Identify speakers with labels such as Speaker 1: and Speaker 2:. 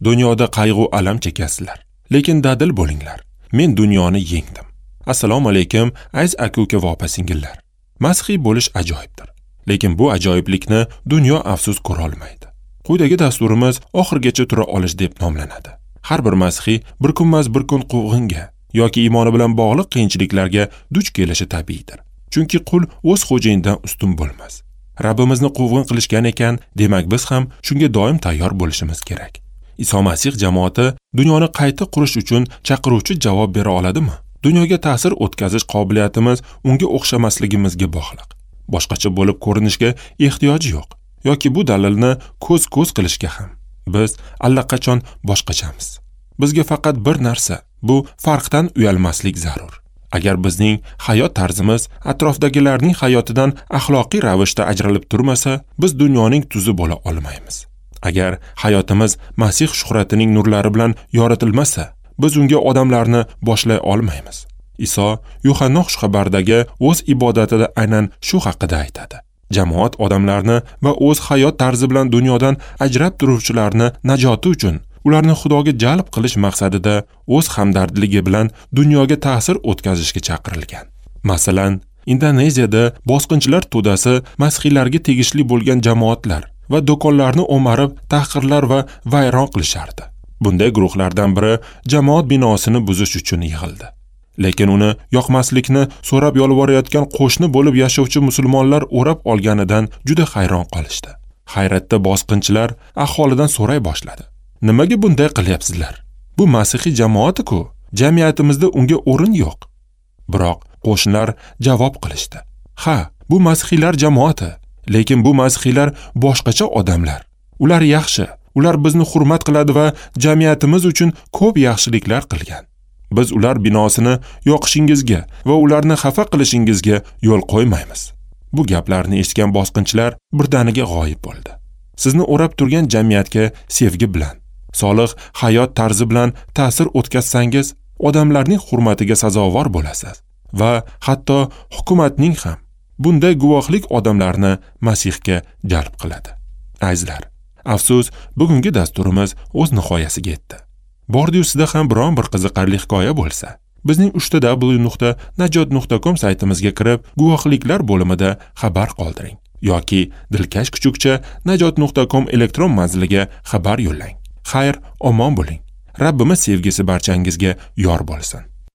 Speaker 1: Dunyoda qayg'u alam chekasizlar, lekin dadil bo'linglar. Men dunyoni yengdim. Assalomu alaykum, aziz aka-uka va opa-singillar. Masihiy bo'lish ajoyibdir. Lekin bu ajoyiblikni dunyo afsus ko'ra olmaydi. Quyidagi dasturimiz oxirgacha tura olish deb nomlanadi. Har bir masihiy bir kunmas bir kun quvg'inga yoki iymoni bilan bog'liq qiyinchiliklarga duch kelishi tabiiydir. Chunki qul o'z xo'jayinidan ustun bo'lmas. Rabbimizni quvg'in qilishgan ekan, demak biz ham shunga doim tayyor bo'lishimiz kerak. Iso Masih jamoati dunyoni qayta qurish uchun chaqiruvchi javob bera oladimi? Dunyoga ta'sir o'tkazish qobiliyatimiz unga o'xshamasligimizga bog'liq. Boshqacha bo'lib ko'rinishga ehtiyoji yo'q yoki bu dalilni ko'z-ko'z qilishga ham. Biz allaqachon boshqachamiz. Bizga faqat bir narsa, bu farqdan uyalmaslik zarur. Agar bizning hayot tarzimiz atrofdagilarning hayotidan axloqiy ravishda ajralib turmasa, biz dunyoning tuzi bo'la olmaymiz. Agar hayotimiz Masih shuhratining nurlari bilan yoritilmasa, biz unga odamlarni boshlay olmaymiz. Iso Yuhanna xushxabardagi o'z ibodatida aynan shu haqida aytadi. Jamoat odamlarni va o'z hayot tarzi bilan dunyodan ajrab turuvchilarni najoti uchun ularni Xudoga jalb qilish maqsadida o'z hamdardligi bilan dunyoga ta'sir o'tkazishga chaqirilgan. Masalan, Indoneziyada bosqinchilar to'dasi masihiylarga tegishli bo'lgan jamoatlar va do'konlarni o'marib, tahqirlar va vayron qilishardi. Bunday guruhlardan biri jamoat binosini buzish uchun yig'ildi. Lekin uni yoqmaslikni so'rab yolvorayotgan qo'shni bo'lib yashovchi musulmonlar o'rab olganidan juda hayron qolishdi. Hayratda bosqinchilar aholidan so'ray boshladi. Nimaga bunday qilyapsizlar? Bu masihiy jamoati-ku, jamiyatimizda unga o'rin yo'q. Biroq qo'shnilar javob qilishdi. Ha, bu masihiylar jamoati, lekin bu masihiylar boshqacha odamlar. Ular yaxshi, ular bizni hurmat qiladi va jamiyatimiz uchun ko'p yaxshiliklar qilgan. Biz ular binosini yoqishingizga va ularni xafa qilishingizga yo'l qo'ymaymiz. Bu gaplarni eshitgan bosqinchilar birdaniga g'oyib bo'ldi. Sizni o'rab turgan jamiyatga sevgi bilan, solih hayot tarzi bilan ta'sir o'tkazsangiz, odamlarning hurmatiga sazovor bo'lasiz va hatto hukumatning ham. Bunday guvohlik odamlarni Masihga jalb qiladi. Azizlar, afsus, bugungi dasturimiz o'z nihoyasiga yetdi. Bordi-yu sizda ham biron bir qiziqarli hikoya bo'lsa, bizning www.najot.com saytimizga kirib, guvohliklar bo'limida xabar qoldiring yoki dilkash kuchukcha najot.com elektron manziliga xabar yo'llang. Xayr, omon bo'ling. Rabbimiz sevgisi barchangizga yor bo'lsin.